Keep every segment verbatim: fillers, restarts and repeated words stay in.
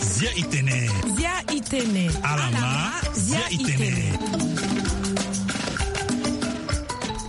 Zia itene. Zia itene. Alama. Zia itene.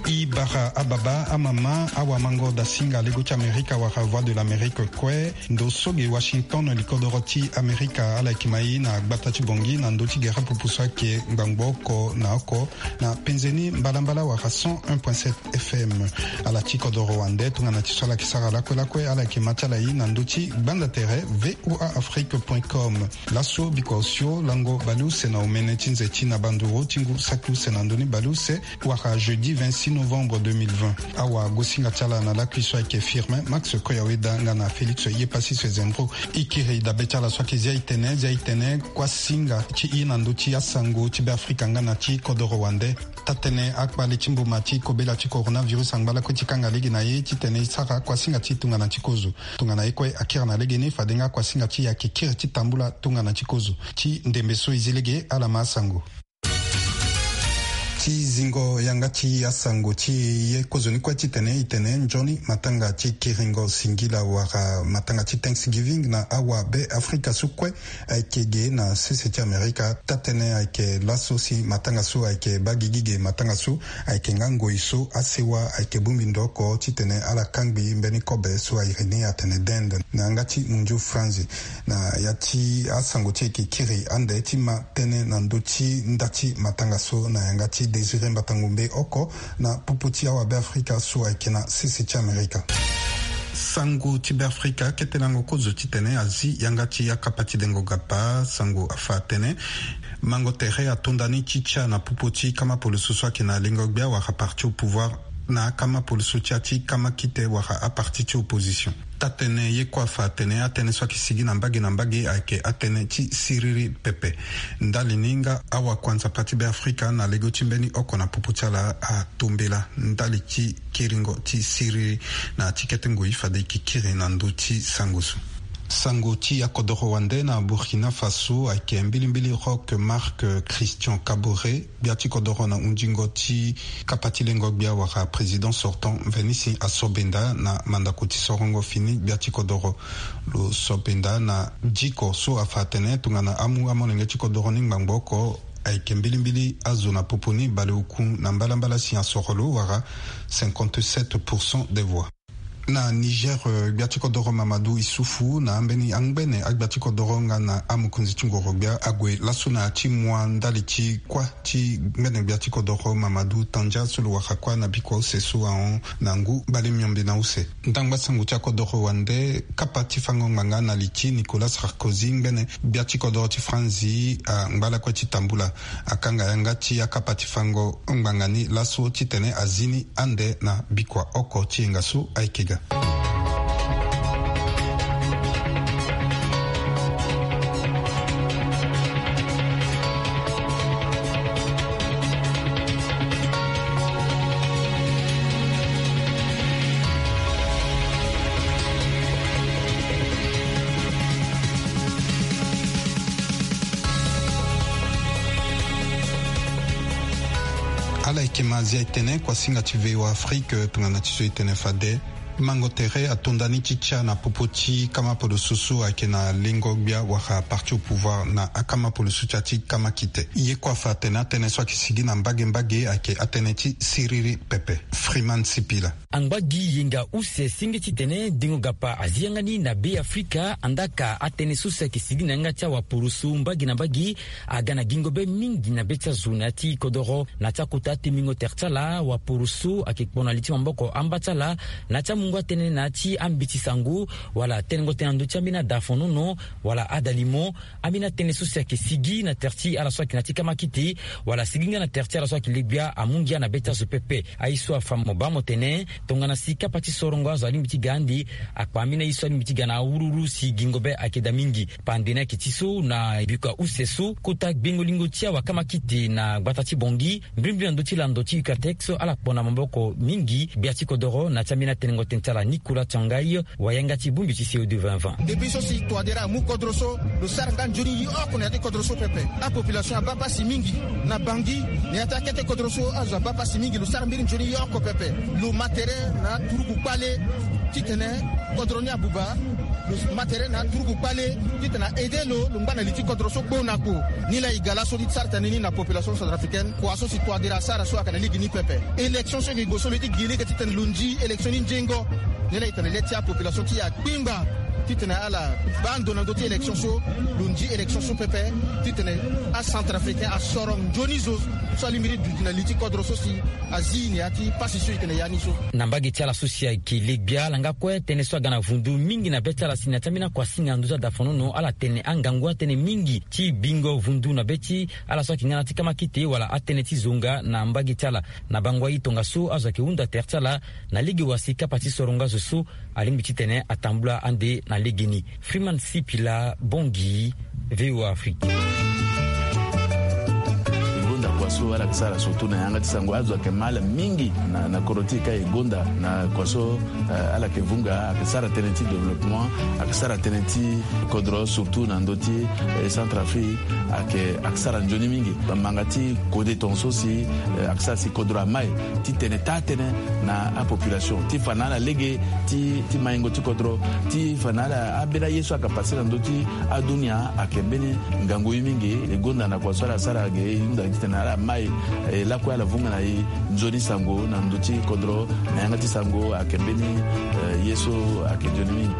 I bara ababa, amama, awamango dasinga lego ti Amerika wala Voix de l'Amérique kue. Ndo so ge Washington, likodoro ti Amerika, ala yeke ma i na gbata ti Bongi na ndö ti gere pupu so ayeke ngbangbo oko na oko na penze ni mbalambala wala cent un point sept F M. Ala ti kodoro wande tongana ti so ala yeke sara lakue lakue, ala yeke ma ti ala i na ndö ti gbanda tere V O A Afrique point com. Laso bikua osio lango baleuse na omene ti nze ti na banduru ti ngu saki use na ndö ni baleuse wala jeudi vingt-six novembre deux mille vingt. Awagosinga ti ala na lakui so ayeke Firmin Max Koyaweda nga na Félix Yepassis Zembro. E kiri dabe ti ala so ayeke Zia itene. Zia itene, kuasinga ti e na ndö ti asango ti Beafrika nga na ti kodoro wande. Taa-tënë akpale ti mbuma ti kobela ti coronavirus angba lakue ti kanga lege na e titene e sara kuasinga ti e tongana ti kozo. Tongana ye kue akiri na legeni, fade nga kuasinga ti e ayeke kiri ti tambula tongana ti kozo. Ti ndembe so e zi lege, ala ma asango. Ti zingo yanga ti asango ti e, ye kozoni kue titene e tene nzoni matanga ti kiringo singila wala matanga ti Thanksgiving na awabe Afrika so kue ayeke ge na sese ti Amerika. Taa-tënë ayeke laso si matanga so ayeke baa gigi ge, matanga so ayeke nga ngoi so asewa ayeke bongbi ndo oko titene ala kangbi mbeni kobe so a iri ni atene dinde na yanga ti mondio franzi. Na ya ti asango ti e yeke kiri ande ti ma tënë na ndö ti nda ti matanga so na yanga ti Désiré Mbatangombe oko na popo ti awabe Afrika so ayeke na sese ti Amerika. Sango ti Beafrika, kete lango kozo titene azi yanga ti akapa ti dengo gapa. Sango afa atene mango tere atonda ni ti tia na popo ti kama poloso so ayeke na lengo gbia wala parti au pouvoir na akama poloso ti ati kama kite wala aparti ti opposition. Taa-tënë ye kue afa atene atënë so ayeke sigi na mbage na mbage ayeke atënë ti siriri pepe. Ndali ni nga awakuanzapa ti Beafrika na lego ti mbeni oko na popo ti ala atombela ndali ti kiringo ti siriri na ya ti kete ngoi fade e yeke kiri na ndö ti sango so. Sango ti akodoro wande na Burkina Faso ayeke mbilimbili Roch Marc Christian Kaboré, gbia ti kodoro na hundingo ti kapa ti lengo gbia wala président sortant Venisi asobenda na mandako ti sorongo fini gbia ti kodoro. Lo sobenda na diko so afa atene tongana amu amolenge ti kodoro ni ngbangbo oko ayeke mbilimbili azo na popo ni baleoku na mbalambala si asoro lo wala cinquante-sept pour cent des voix. Na Niger, eh, gbia ti kodoro Mamadou Issoufou na ambeni angbene agbia ti kodoro nga na amokonzi ti ngoro gbia ague laso na ya ti mua ndali ti kuâ ti ngbene gbia ti kodoro Mamadou Tandja so lo wara kuâ na bikua use so ahon na ngu bale miombe na use. Ndangba sango ti akodoro wande kapa ti fango ngbanga na li ti Nicolas Sarkozy ngbene gbia ti kodoro ti Franzi angba lakue ti tambula. Akanga yanga ti akapa ti fango ngbanga ni laso titene azi ni ande na bikua oko ti yenga so ayeke ga. Ala yeke ma azia e tene kuasinga ti V O A Afrique tongana ti so e tene fade. Mango tere atonda ni ti tia na popo ti kama poloso so ayeke na lengo gbia wala parti au pouvoir na akama poloso ti ati kama kite. Ye kue afa atene atënë so ayeke sigi na mbage mbage ayeke atënë ti siriri pepe. Freeman Sipila. Angba gi yenga use senge titene dengo gapa azi yanga ni na Be Afrika, andaka atënë so si ayeke sigi na yanga ti awaporoso mbage na mbage aga na gingo be mingi na be ti azo na ya ti kodoro. Na ya ti akota atemingo tere ti ala, waporoso ayeke kpo na li ti maboko amba ti ala na ya ti amungo atënë na ya ti ambeti sango, wala tënëngo tënë na ndö ti ambeni adafonono wala adalimo. Ambeni atënë so si ayeke sigi na tere ti ala so ayeke na ya ti kama kite, wala sigi nga na tere ti ala so ayeke le gbia amu ngia na be ti azo pepe. Aye so afa mo baa mo tene tongana si kapa ti sorongo azo alingbi ti ga ande, akpa ambeni aye so alingbi ti ga na awuruwuru si gingo be ayeke daa mingi. Pande ni ayeke ti so na bikua use so kota gbengo-lingo ti awakama kite na gbata ti Bongi, mbrimbri na ndö ti lando ti Ucatec so ala kpo na maboko mingi gbia ti kodoro na ya ti ambeni atënëngo Ti ala Nicolas Tiangai, wayanga ti bongbi ti C O deux vingt vingt. Depuis so si Touadéra amu kodro so, lo sara nga nzoni ye oko na ya ti kodro so pepe. Apopulation abaa pasi mingi. Na Bangui, na ya ti akete kodro so azo abaa pasi mingi, lo sara mbeni nzoni ye oko pepe. Lo ma tere na turugu kpale titene kodro ni abuba. Lo ma tere na turugu kpale titene a aide lo, lo ngba na li ti kodro so gbo na gbo. Ni laa e ga laso ti sara tënë ni na population centrafricaine. Kua so si Touadéra asara so ayeke na lege ni pepe. Élection so e ke gue so lo ye ti gi lege titene lo nzi élection ni nzengo. Ni laa e tene le ti apopulation ti e akpingba titene ala baa ndo na ndö ti élection so, lo nzi élection so pepe, titene acentrafricain asoro nzoni zo so alingbi ti duti na li ti kodro so si azi na ya ti pasi so e yeke na ya ni so. Na mbage ti ala so si ayeke le gbia, ala nga kue tënë so aga na vundu mingi na be ti ala si na ya ti ambeni akuasinga na ndö ti adafonono, ala tene angangu atënë mingi ti bingo vundu na be ti ala so ayeke nga na ya ti kamakite wala atënë ti zonga na mbage ti ala. Na bango aye tongaso azo ayeke hunda tere ti ala na lege wa si kapa ti sorongo azo so alingbi titene atambula ande na legeni. Freeman Sipila, Bangui, V O A Afrique. E gonda kua so ala yeke sara surtout na yanga ti sango, azo ayeke mal mingi na, na kodro ti e ka e gonda na kua so, eh, ala yeke vunga, ayeke sara tënë ti développement, ayeke sara tënë ti kodro surtout na ndö ti, eh, Centrafrique, ayeke, ayeke sara nzoni mingi. Bamanga ti kode tongaso si, eh, ayeke sara si kodro amai titene taa tënë na apopulation ti fa na ala lege ti, ti maingo ti kodro, ti fa na ala ambeni aye so ayeke pase na ndö ti adunia ayeke mbeni ngangu ye mingi. E gonda na kua so ala sara ge e hunda titene ala mai, eh, lakue ala vunga na e nzoni sango na ndö ti kodro, na yanga ti sango ayeke mbeni, eh, ye so ayeke nzoni mingi.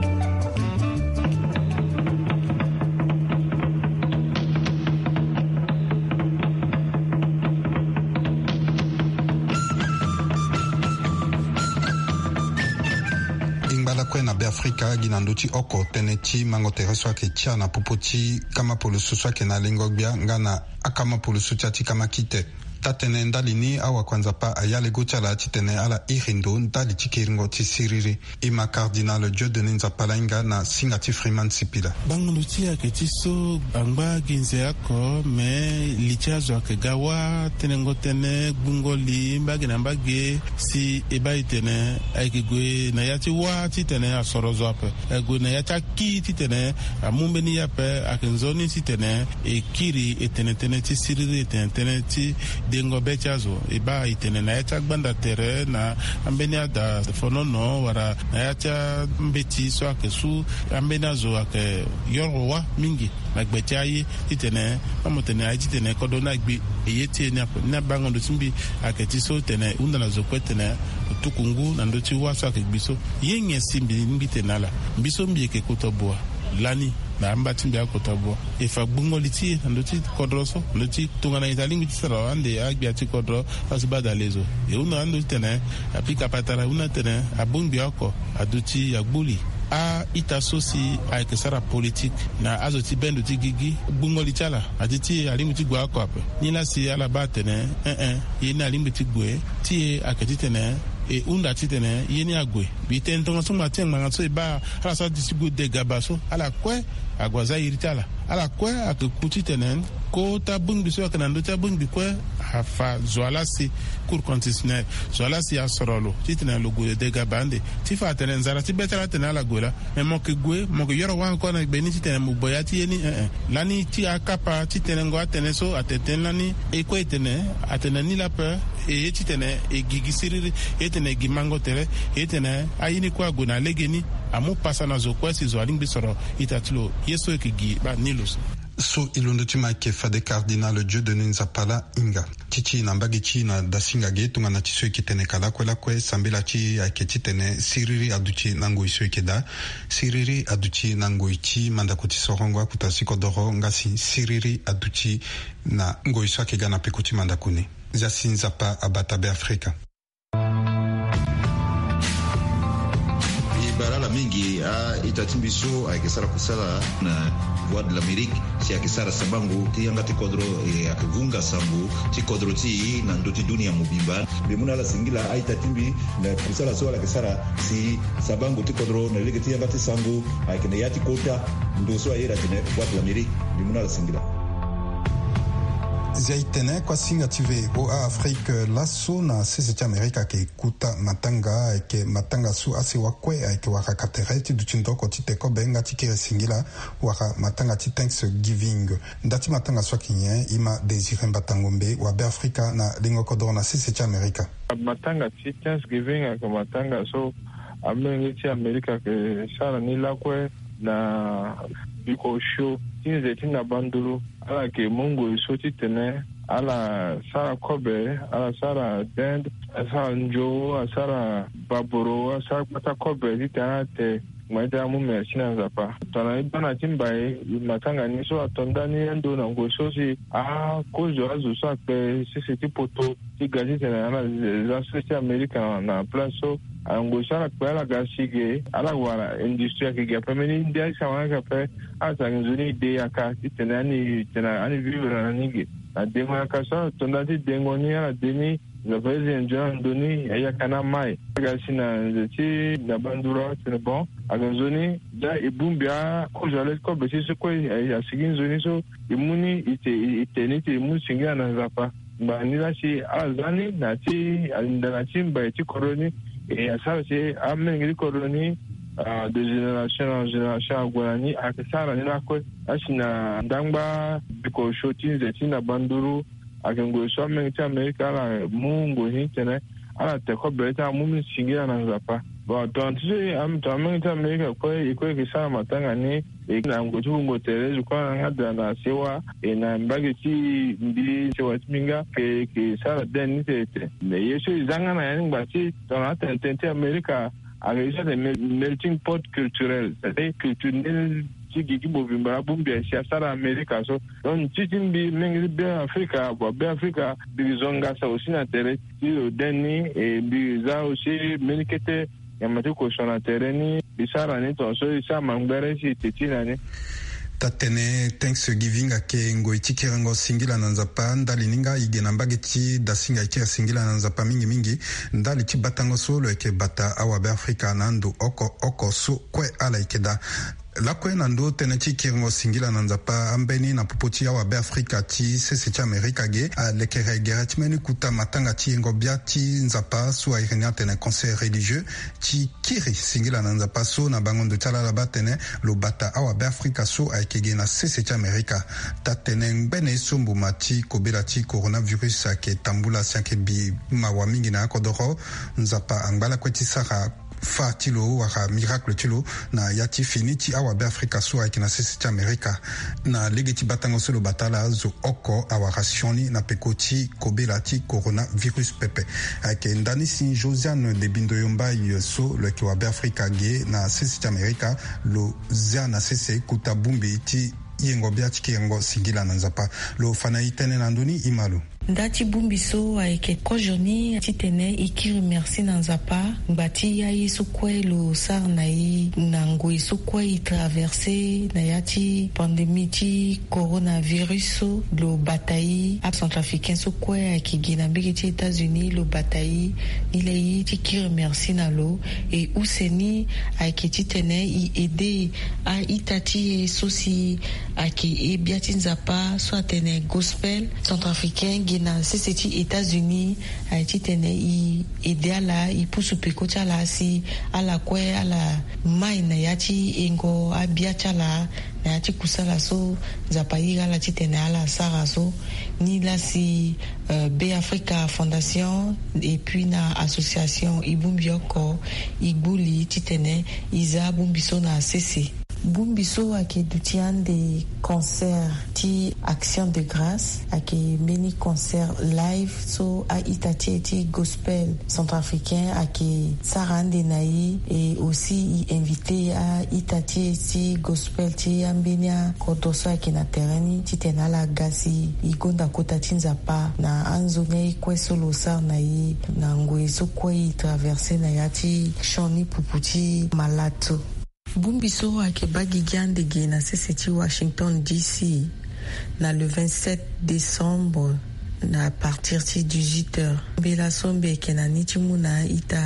E ngba lakue na Beafrika gi na ndö ti oko tënë ti mango tere so ayeke tia na popo ti kama poloso so ayeke na lengo-gbia nga na akama poloso ti ya ti kamakite. Taa-tënë ndali ni, awakuanzapa aya lego ti ala titene ala iri ndo ndali ti kiringo ti siriri. E ma Cardinal Dieudonné Nzapa laa hinga na singa ti Freeman Sipila. Bango ndo ti e ayeke ti so angba gi nze oko, me li ti azo ayeke ga wâ, tenengo tënë, gbungo li mbage na mbage, si e baa e tene ayeke gue na ya ti wâ titene asoro zo ape. Ayeke gue na ya ti akui titene amu mbeni ye ape, ayeke nzoni titene e kiri e tene tënë ti siriri, e tene tënë ti dengo be ti azo. E baa e tene na ya ti agbanda tere, na ambeni adafonono wala na ya ti ambeti so ayeke su, ambeni azo ayeke yoro wâ mingi na gbe ti aye titene, amu tene aye titene kodro ni agbi e ye ti e ni ape. Ni abango ndo ti mbi ayeke ti so tene e hunda na zo kue tene lo tuku ngu na ndö ti wâ so ayeke gbi so. Ye nyen si mbi lingbi tene na ala? Mbi so mbi yeke kota bua lani na amba ti mbi akota bua. E fa gbungo li ti e na ndö ti kodro so, na ndö ti tongana e ta lingbi ti sara ande agbia ti kodro, asi baa dale zo. E hunda na ando titene apika patara, e hunda titene abongbi oko aduti agbuli. A-ita so si ayeke sara politique na azo ti bendo ti gigi, gbungo li ti ala adi ti e alingbi ti gue oko ape. Nilaa si ala baa tene, eh eh, ye ni alingbi ti gue, ti e ayeke titene e hunda titene ye ni ague. Mbi tene tongaso ngba ti e ngbanga so e baa ala so adi ti gue de gaba so, ala kue ague aza iri ti ala. Ala kue ayeke ku titene kota bongbi so ayeke na ndö ti abongbi kue afa zo wa laa si Cour constitutionnelle, zo wa laa si asoro lo titene lo gue de gaba ande. Ti fa atene nzara ti be ti ala atene ala gue laa. Me mo yeke gue, mo yeke yoro wâ encore na gbe ni titene mo gue ya ti ye ni, eh eh. Lani ti akapa ti tenengo atënë so atene tënë lani, e kue e tene atene ni laa ape. E ye titene e gigi siriri, e ye titene e gi mango tere, e ye titene aye ni kue ague na legeni. Amu pasa na zo kue si zo alingbi soro ita ti lo. Ye so e yeke gi baa ni lo so. So e londo ti ma ayeke fade Cardinal Dieudonné Nzapa laa hinga. Ti ti e na mbage ti e na dasinga ge tongana ti so e yeke tene ka lakue lakue, sambela ti e ayeke titene siriri aduti na ngoi so e yeke daa. Siriri aduti na ngoi ti mandako ti sorongo akota ti kodoro, nga si siriri aduti na ngoi so ayeke ga na peko ti mandako ni. Zia si Nzapa abata Beafrika. E bara ala mingi a-ita ti mbi so ayeke sara kusala na Voix de l'Amérique, si ayeke sara sabango ti yanga ti kodro, e ayeke vunga sango ti kodro ti e na ndö ti dunia mobimba. Mbi mu na ala singila a-ita ti mbi na kusala so ala yeke sara si sabango ti kodro na lege ti yanga ti sango ayeke na ya ti kota ndo so a iri atene Voix de l'Amérique. Mbi mu na ala singila. Zia e tene kuasinga ti ve o a Afrique laso na sese ti Amerika ayeke kuta matanga, ayeke matanga so asewa kue ayeke wara ka tere ti duti ndoko ti te kobe nga ti kiri singila, wara matanga ti Thanksgiving. Nda ti matanga so ayeke nyen? E ma Désiré Mbatangombe, wabe Afrika na lingo kodoro na sese ti Amerika. Matanga ti Thanksgiving ayeke matanga so amolenge ti Amerika ayeke sara ni lakue na biko osio ti nze ti na banduru. Ala yeke mu ngoi so titene ala sara kobe, ala sara dinde, asara nzo, asara baboro, asara gbata kobe titene ala te ngbani ti ala mu merci na Nzapa. Tongana e baa na ti mbai, matanga ni so ato ndani ando na ngoi so si akozo azo so akpe sese ti poto ti ga titene ala za sese ti Amerika na, na place so. Ngoi so ala kpe ala ga si ge, ala wara industrie ayeke ge ape, mbeni ndia ti sawa ni ayeke ape. Ala tene nzoni e de yaka titene ani tene ani vivre na ni ge. Na dengo yaka so ala to ndani ti dengo ni, ala de ni, Nzapa iri nzoni na ndoni, ayaka na mai. Aga si na nze ti na banduru atene bon, aga nzoni, da e bongbi akozo ale ti kobe ti so kue, asigi nzoni so e mu ni, e te, e te ni ti e mu singila na Nzapa. Ngbanga ni la si ala za ni na ti alinda na ti mbai ti kodro ni, e asara si amolenge ti kodro ni, ah, de génération na génération ague na ni, ayeke sara ni lakue. Asi na ndangba biko osio ti nze ti na banduru, ayeke ngoi so amolenge ti Amerika ala mu ngoi ni titene ala te kobe ti ala mu mbi singila na Nzapa. Bon, tongana ti so, am, tongana amolenge ti Amerika kue, e kue e yeke sara matanga ni, e na ngoi ti wungo tere, zo kue na nga da na sewa, e na mbage ti mbi, sewa ti mbi nga, e yeke sara dinde ni tene te. Mais ye so e za nga na ya ni ngba ti tongana atene tene ti Amerika, ayeke ye so atene mel-, melting pot culturel, c'est-à-dire culture ndeni ti gigi mobimba abongbi asi asara Amerika so. Donc ti ti mbi, menge ti Be Afrika, bon, Be Afrika, mbi zonga sa aussi na tere ti lo dinde ni, e mbi za aussi mbeni kete nyama ti koso na tere ni, mbi sara ni tongaso e sara mangbere si e te ti na ni. Taa-tënë Thanksgiving ayeke ngoi ti kiringo singila na Nzapa. Ndali ni nga e ge na mbage ti dasinga e kiri singila na Nzapa mingi mingi ndali ti batango so lo yeke bata awabe Afrika na ando oko oko so kue ala yeke daa. Lakue na ndo tënë ti kiringo singila na Nzapa, ambeni na popo ti awabe Afrika ti sese ti Amerika ge, alekere gere ti mbeni kuta matanga ti yengo bia ti Nzapa so a iri ni atene concert religieux, ti kiri singila na Nzapa so na bango ndo ti ala ala baa atene lo bata awabe Afrika so ayeke ge na sese ti Amerika. Taa-tënë ngbene ye so mbuma ti kobela ti coronavirus ayeke tambula si ayeke bi mawa mingi na akodoro, Nzapa angba lakue ti sara fa ti lo wala miracle ti lo na ya ti fini ti awabe Afrika so ayeke na sese ti Amerika. Na lege ti batango so lo bata ala, zo oko awara sioni na peko ti kobela ti coronavirus pepe. Ayeke nda ni si Josiane de Bindoyo Mbaye so lo yeke wabe Afrika ge na sese ti Amerika, lo zia na sese kuta bongbi ti yengo bia ti kiringo singila na Nzapa. Lo fa na e tënë na ndö ni, e ma lo. Nda ti bongbi so ayeke kozo ni titene e kiri merci na Nzapa ngba ti aye so kue lo sara na e na ngoi so kue e traverse na ya ti pandémie ti coronavirus so, lo bata e. Acentrafricain so kue ayeke gi na mbege ti États-Unis lo bata e. Ni laa e ye ti kiri merci na lo. E use ni ayeke titene e aide a-ita ti e so si ayeke e bia ti Nzapa so atene gospel centrafricain gi na sese ti États-Unis. Aye titene e aide ala, e pusu peko ti ala si ala kue ala mai na ya ti yengo abia ti ala na ya ti kusala so Nzapa iri ala titene ala sara so. Ni laa si, euh, Be Africa Fondation et puis na association e bongbi oko e gbu li titene e za bongbi so na sese. Bongbi so ayeke duti ande concert ti Action de Grâce, ayeke mbeni concert live so a-ita ti e ti gospel centrafricain ayeke sara ande na e. E aussi e invite a-ita ti e ti gospel ti ambeni akodro so ayeke na tere ni titene ala ga si e gonda kota ti Nzapa na anzoni aye kue so lo sara na e na ngoi so kue e traverse na ya ti sioni pupu ti malato. Bongbi so ayeke baa gigi ande ge na sese ti Washington D C na le vingt-sept décembre, na à partir ti dix-huit heures. Mbela so mbi yeke na ni ti mu na a-ita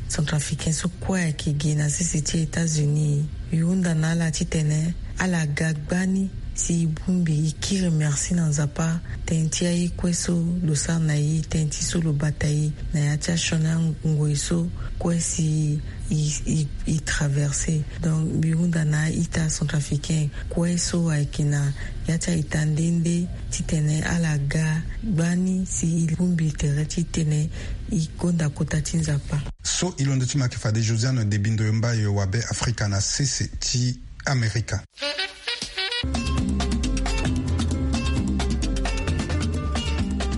centrafricain so kue ayeke ge na sese ti États-Unis, e hunda na ala titene ala ga gbani Si e bongbi, e kiri merci na Nzapa tënë ti aye kue so lo sara na e, tënë ti so lo bata e na ya ti asioni angoi so kue si e, e, e traverser. Donc mbi hunda na a-ita centrafricain kue so ayeke na ya ti a-ita nde nde titene ala ga gbani si e bongbi tere titene e gonda kota ti Nzapa. So e londo ti ma ayeke fade Josiane Debindo Yombayo wa Be Afrika na sese ti Amerika.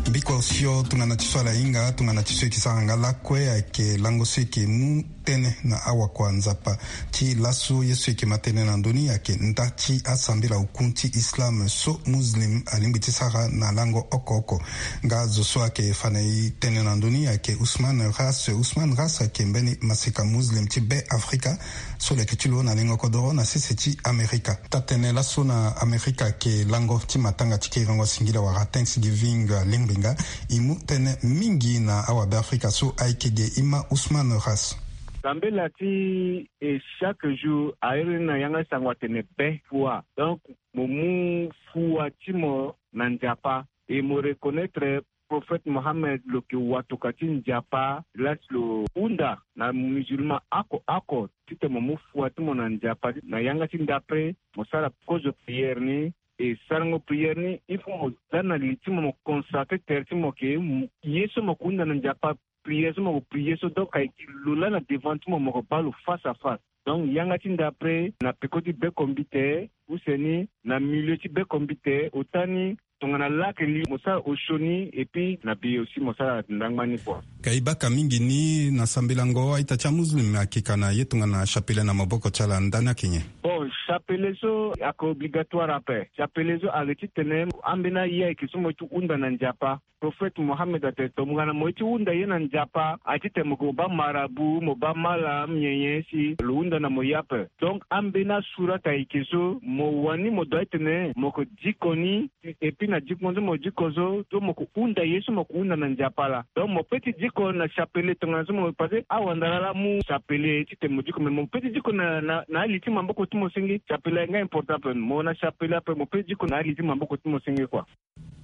Mbiko sio tongana ti so ala hinga, tongana ti so e yeke sara nga lakue ayeke lango so e yeke mu tënë na awakua Nzapa. Ti laso ye so e yeke ma tënë na ndö ni ayeke nda ti asambela oku ti Islam so Muslim alingbi ti sara na lango oko oko. Nga zo so ayeke fa na e tënë na ndö ni ayeke Ousmane Ras. Ousmane Ras ayeke mbeni maseka Muslim ti Be Afrika so lo yeke ti lo na lengo kodoro na sese ti Amerika. Taa-tënë laso na Amerika ayeke lango ti matanga ti kiriango singila wala Thanksgiving, eh, lingbi nga. E mu tënë mingi na awabe Afrika so ayeke ge. E ma Ousmane Ras. Sambela ti e chaque jour a iri ni na yanga ti sango atene be fua. Donc mo mu fua ti mo na Nzapa. Et mo reconnaître prophète Mohammed lo yeke watoka ti Nzapa, la si lo hunda na musulman oko oko titene mo mu fua ti mo na Nzapa. Na yanga ti nda pe mo sara kozo prière ni. E sarango prière ni, il faut mo za na li ti mo, mo consacrer tere ti mo ke, ye so mo yeke hunda na Nzapa, prière so mo yeke prier so, donc ayeke lo laa na devant ti mo, mo yeke baa lo face à face. Donc yanga ti nda pe na peko ti bekombite, use ni na milieu ti bekombite, ota ni tongana lake li mo sara osio ni, et puis na bi aussi mo sara ndangba ni kua. Ka e baka mingi ni na sambelango a-ita ti amuslim ayeke ka na ye tongana chapelet na maboko ti ala, ndani ayeke nyen? Bon, chapelet so ayeke obligatoire ape. Chapelet so ayeke titene ambeni aye ayeke so mo ye ti hunda na Nzapa. Prophète Mohammed atene tongana mo ye ti hunda ye na Nzapa, aye titene mo yeke mo baa marabout, mo baa malam, nyen nyen si lo hunda na mo ye ape. Donc ambeni asurat ayeke so mo wani mo doit titene mo yeke diko ni, et puis na diko so mo diko so, so mo yeke hunda ye so mo yeke hunda na Nzapa laa. Donc mo peut ti diko na chapelet tongana so mo, parce que awandara laa amu chapelet titene mo diko, mais mo peut ti diko na, na, na ali ti maboko ti mo senge. Chapelet ayeke nga important ape. Mo na chapelet ape, mo peut ti diko na ali ti maboko ti mo senge kua.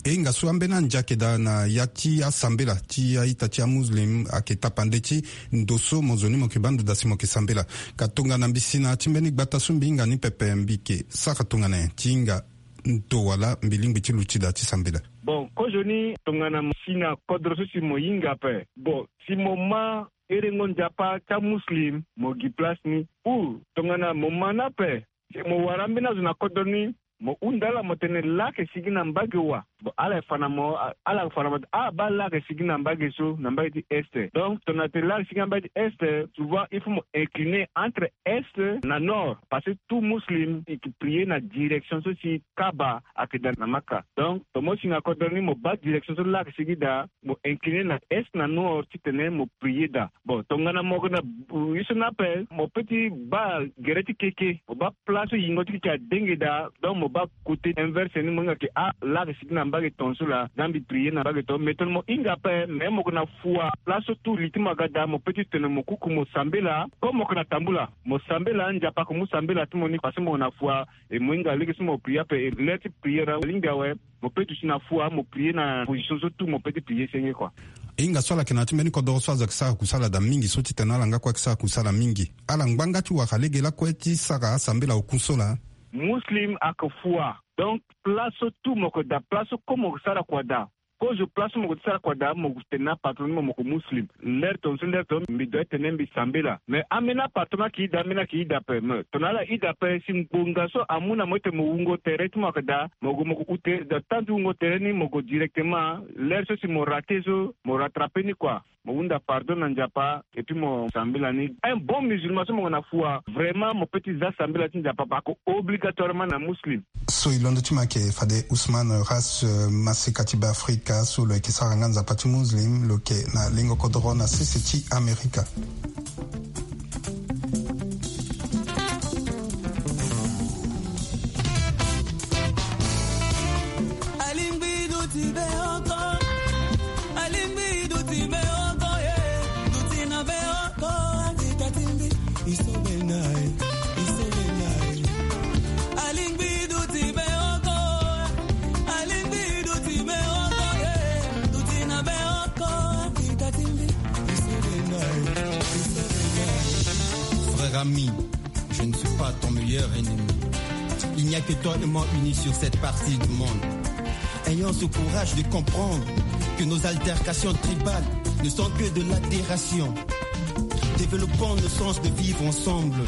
E hinga so ambeni andia ayeke daa na ya ti asambela ti a-ita ti amuslim ayeke tapande ti ndo so mo zo ni mo yeke baa ndo daa si mo yeke sambela. Ka tongana mbi si na ya ti mbeni gbata so mbi hinga ni pepe, mbi yeke sara tongana nyen ti hinga ndo wala mbi lingbi ti luti daa ti sambela? Bon, kozoni tongana mo si na kodro so si mo hinga ape. Bon, si mo ma herengo Nzapa ti amuslim, mo gi place ni. Ou tongana mo ma ni ape, si mo wara ambeni azo na kodro ni, mo hunda ala mo tene laa ayeke sigi na mbage wa. Bon, ala yeke fa na mo, ala yeke fa na mo, ah, baa laa ayeke sigi na mbage so, na mbage ti est. Donc tongana tene laa ayeke sigi na mbage ti est, souvent il faut mo incliner entre est na nord, parce que tout muslim e yeke prier na direction so si Kaaba ayeke daa na Maka. Donc tongana mo si na kodro ni, mo baa direction so laa ayeke sigi daa, mo incliner na est na nord titene mo prier daa. Bon, tongana mo yeke na, euh, ye so ni ape, mo peut ti baa gere ti keke, mo baa place so yingo ti keke adenge daa, donc mo baa côté inverse ni, mo hinga ke, ah, laa ayeke sigi na mbage tongaso laa, za mbi prier na mbage tongaso. Mais tongana mo hinga ape, mais mo yeke na fua, place so tout li ti mo aga daa, mo peut ti tene mo kuku mo sambela, comme mo yeke na tambula, mo sambela, Nzapa ayeke mu sambela ti mo ni, parce que mo yeke na fua, e mo hinga lege so mo prier ape, e l'heure ti prier alingbi awe. Mo peut duti na fua, mo prier na position so tout mo peut ti prier senge kua. E hinga so ala yeke na ya ti mbeni kodoro so azo ayeke sara kusala daa mingi so titene ala nga kue ayeke sara kusala mingi. Ala ngbanga ti wara lege lakue ti sara asambela oku so laa. Muslim ayeke fua. Donc place so tout mo yeke daa, place so comme mo yeke sara kua daa. Kozo place so mo yeke sara kua daa, mo tene na apatron ni mo, mo yeke muslim. L'heure tongaso, l'heure tongaso mbi doit tene mbi sambela. Mais ambeni apatron ni ayeke ida, ambeni ayeke ida ape. Mais tongana ala ida ape, si ngbonga so amu na mo titene mo wungo tere ti mo ayeke daa, mo gue mo gue ute daa, temps ti wungo tere ni mo gue directement. L'heure so si mo rater so, mo rattraper ni kua. Mo hunda pardon na Nzapa, et puis mo sambela ni. Un bon musulman so mo yeke na fua, vraiment mo peut ti za sambela ti Nzapa, parce que obligatoirement na muslim. So e londo ti ma ayeke fade Ousmane Ras, euh, maseka ti Be Afrika so lo yeke sara nga Nzapa ti muslim, lo yeke na lengo kodoro na sese ti Amerika. Ami, je ne suis pas ton meilleur ennemi. Il n'y a que toi et moi unis sur cette partie du monde. Ayons ce courage de comprendre que nos altercations tribales ne sont que de l'adhération. Développons nos sens de vivre ensemble.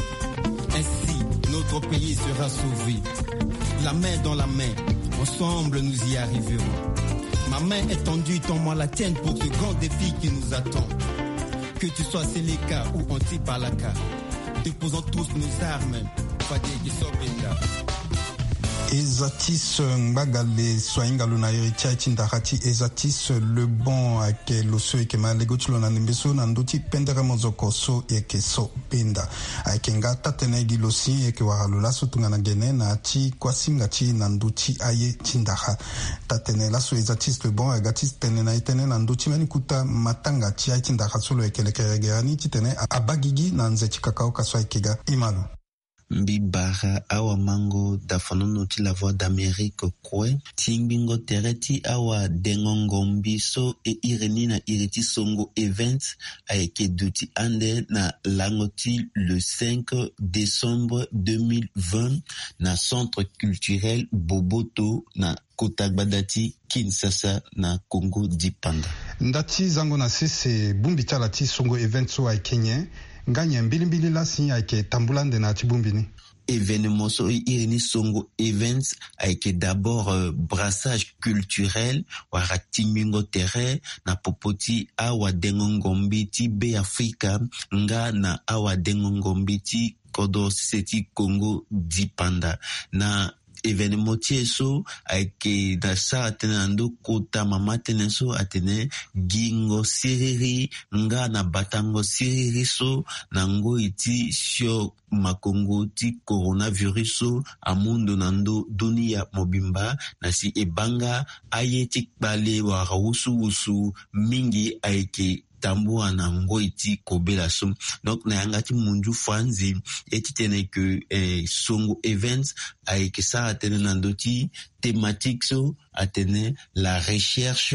Ainsi, notre pays sera sauvé. La main dans la main, ensemble nous y arriverons. Ma main est tendue, tends-moi la tienne pour ce grand défi qui nous attend. Que tu sois Séléka ou anti-Balaka, déposons tous nos armes. Fade Gesobenda. Ezatis Ngbagale so ahinga lo na iri ti aye ti ndara ti Ezatis Le Bon ayeke lo so eke ma lego ti lo na ndembe so na ndö ti pendere mozoko so eke so benda. Ayeke nga taa-tënë gi lo si eke wara lo laso tongana gene na ya ti kuasinga ti na ndö ti aye ti ndara. Taa-tënë laso Ezatis Le Bon aga ti tene na e tënë na ndö ti mbeni kota matanga ti aye ti ndara so lo yeke lekerege ya ni titene abaa gigi na nze ti kakaoka so ayeke ga. Ima lo. Mbi bara awamango dafanono ti La Voix d'Amérique kue. Tingbingo tere ti awadengo ngombi so e iri ni na iri ti Songo Events ayeke duti ande na lango ti le cinq décembre deux mille vingt na centre culturel Boboto na kota gbada ti Kinshasa na Congo dipanda. Nda ti zango na sese, bongbi ti ala ti Songo Events so ayeke nyen? Nga nyen mbilimbili laa si ayeke tambula ande na ya ti bongbi ni? Événement so e iri ni Songo Events ayeke d'abord, euh, brassage culturel wala tingbingo tere na popo ti awadengo ngombi ti Be Afrika nga na awadengo ngombi ti kodro sese ti Congo dipanda. Na événement ti e so ayeke na sara tënë na ndö kota mama tënë so atene gingo siriri nga na batango siriri so na ngoi ti sio makongo ti coronavirus so amu ndo na ndö dunia mobimba, na si e baa nga aye ti kpale wala wusuwusu mingi ayeke tambula na ngoi ti kobela so. Donc na yanga ti munzu franzi, e ti tene ke, eh, Songo Events ayeke sara tënë na ndö ti thématique so atene la recherche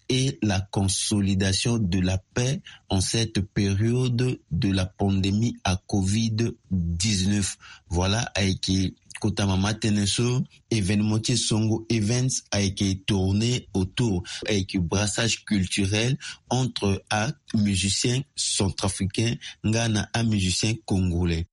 et la consolidation de la paix en cette période de la pandémie à covid dix-neuf. Voilà, ayeke kota mama tënë so. Événement ti Songo Events ayeke tourné autour, ayeke brassage culturel entre amusicien centrafricain nga na amusicien congolais.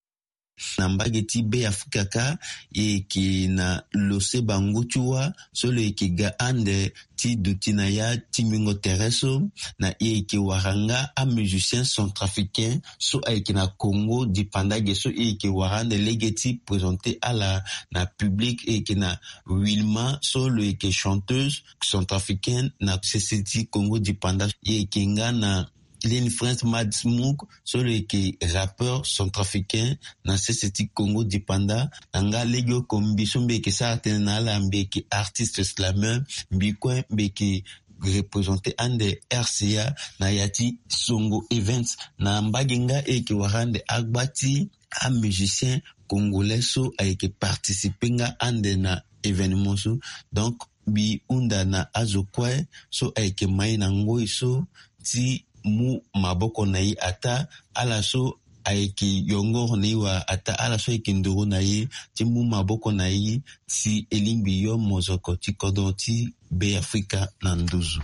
Na mbage ti Be Afrika kâ, e yeke na lose bango ti wâ so lo yeke ga ande ti duti na ya tingbingo tere so, na e yeke wara nga amusicien centrafricain so ayeke na Congo dipanda ge so e yeke wara ande lege ti présenter ala na public. E yeke na Wilma so lo yeke chanteuse centrafricaine na sese ti Congo dipanda. E yeke nga na Lin Prince Mad Smook so lo yeke rappeur centrafricain na sese ti Congo dipanda. Na nga legeoko mbi so mbi yeke sara tënë na ala, mbi yeke artiste slameur, mbi kue mbi yeke représenter ande R C A na ya ti Songo Events. Na mbage nga e yeke wara ande agba ti amusicien congolais so ayeke participer nga ande na événement so. Donc mbi hunda na azo kue so ayeke ma e na ngoi so ti mu maboko na e ataa ala so ayeke yongoro na e wala ataa ala so ayeke nduru na e ti mu maboko na e si e lingbi yo mozoko ti kodro ti Be Afrika na nduzu.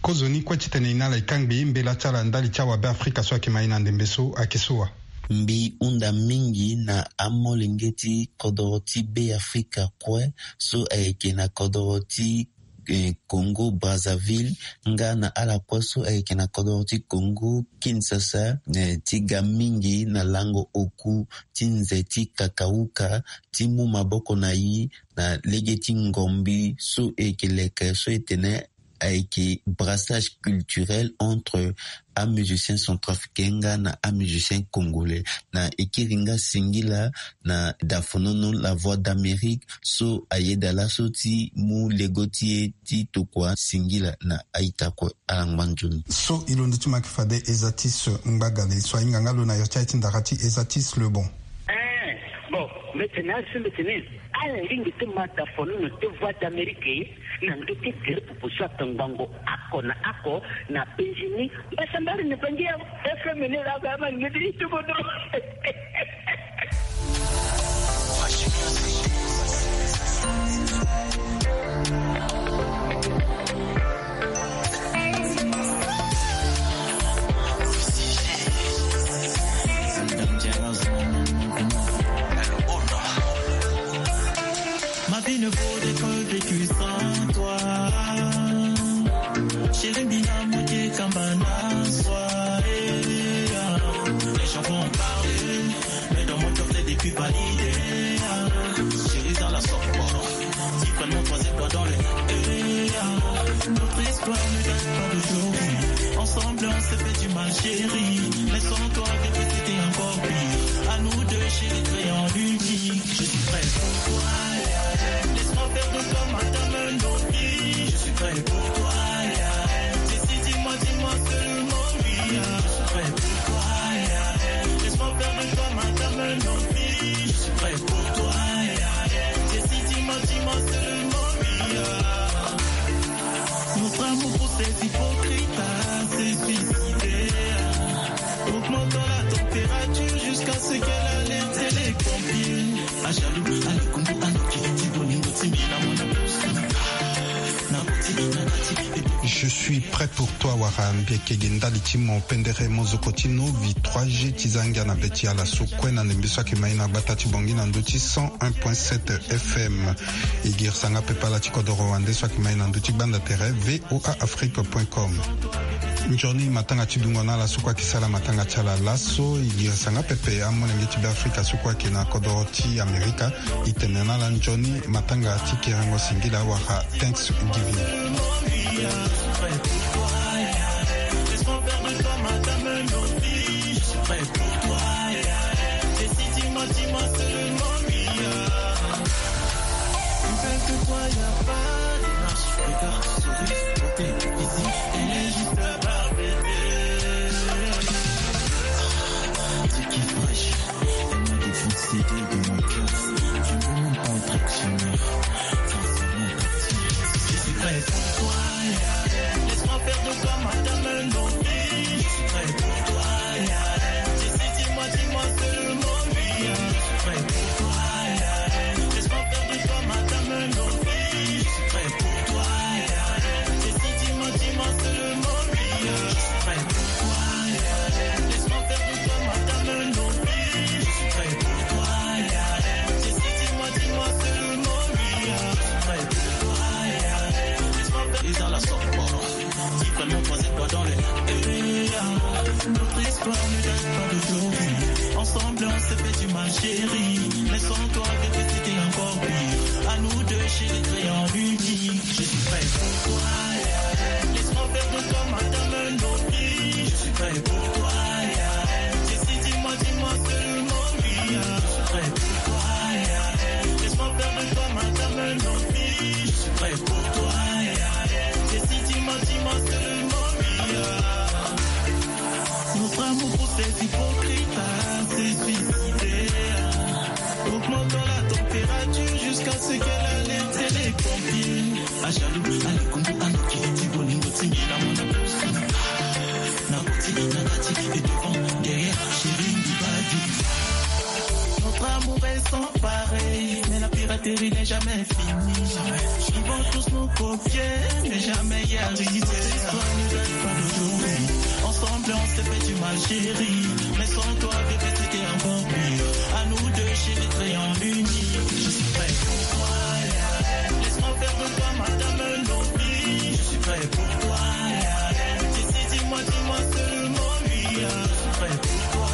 Kozoni kue titene e na ala e kangbi mbela ti ala ndali ti awabe Afrika so ayeke ma e na ndembe so ayeke so wa. Mbi hunda mingi na amolenge ti kodro ti Be Afrika kue so ayeke na kodro ti, eh, Congo Brazzaville nga na ala kue so ayeke na kodro ti Congo Kinshasa, eh, ti ga mingi na lango oku ti nze ti kakauka ti mu maboko na e na lege ti ngombi so e yeke leke so e tene ayeke brassage culturel entre amusicien centrafricain nga na amusicien congolais. Na e kiri nga singila na dafonono La Voix d'Amérique so ayeda laso ti mu lego ti e ti tokua singila na a-ita kue. Ala ngba nzoni. So e londo ti ma yeke fade Ezatis Ngbagale so ahinga nga lo na iri ti aye ti ndara ti Ezatis Le Bon. Eh, bon, mbi tene asi mbi tene ala lingbi ti ma dafonono ti Voix d'Amérique na ndö ti gere pupu so atongbango oko na oko na penzi ni. Mbasambari ni penzi ya F M ni la ga ma ni ti tubodo. Ma chérie, mais sans toi, bébé, c'était encore pire. À nous deux, chérie, créons l'unique. Je suis prêt pour toi. Laisse-moi faire de toi ma dame novice. Je suis prêt pour toi. Dis-moi, dis-moi seulement oui. Je suis prêt pour toi. Laisse-moi faire de toi ma dame novice. Je suis prêt pour toi. Dis-moi, dis-moi seulement oui. Notre amour pour ces hypocrites, ah, c'est suicidaire. Augmentons la température jusqu'à ce qu'elle alerte les pompiers. Ah, jaloux, ah, le Congo, ah, le Kiki, Bolingo, Timbi, la Mona, na Boti, na Bati, et puis Je suis prêt pour toi, wara mbi yeke gi ndali ti mo pendere mo zoko ti novi trois G ti za ngia na be ti ala so kue na ndembe so ayeke ma e na gbata ti Bangui na ndö ti cent un point sept F M. E girisa nga pepe ala ti kodoro wande so ayeke ma e na ndö ti gbanda tere V O A Afrique point com. Nzoni matanga ti dungo na ala so kue ayeke sara matanga ti ala laso. E girisa nga pepe amolenge ti Beafrika so kue ayeke na kodoro ti Amerika. E tene na ala nzoni matanga ti kerengo singila wala Thanksgiving. Ensemble, on s'est fait du mal, chérie. Mais sans toi, bébé, c'était encore pire. À nous deux, chérie, créons l'unique. Je suis prêt pour toi. Laisse-moi faire de toi ma dame novice. Je suis prêt pour toi. Dis-moi, dis-moi seulement oui. Je suis prêt pour toi. Laisse-moi faire de toi ma dame novice. Je suis prêt pour toi. Dis-moi, dis-moi seulement oui. Notre amour pour ces hypocrites, ah, c'est suicidaire. Augmentons la température jusqu'à ce qu'elle alerte les pompiers. Ah, jaloux, ah, le Congo, ah, le Kiki, Bolingo, Timbi, la Mona, na Boti, na Bati, et devant, derrière, chérie, Badi. Notre amour est sans pareil, mais la piraterie n'est jamais finie. Ils vont tous nous copier, mais jamais y arriver. Cette histoire ne date pas d'aujourd'hui. Ensemble, on s'est fait du mal, chérie. Mais sans toi, bébé, c'était encore pire. À nous deux, chérie, créons l'unique. Je suis prêt pour toi. Laisse-moi faire de toi ma dame novice. Je suis prêt pour toi. Dis-moi, dis-moi seulement oui. Je suis prêt pour toi.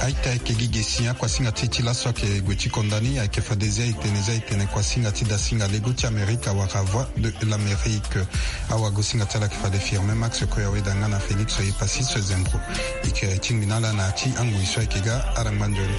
Aita ayeke gi ge si akuasinga ti e ti laso ayeke gue ti konda ni, ayeke fade zia e tene, zia e tene kuasinga ti dasinga lego ti Amerika wala Voix de l'Amérique. Awagosinga ti ala ayeke fade Firmin Max Koyaweda nga na Félix Oyepassis Zembro. E yeke tingbi na ala na ya ti angoi so ayeke ga. Ala ngba nzoni.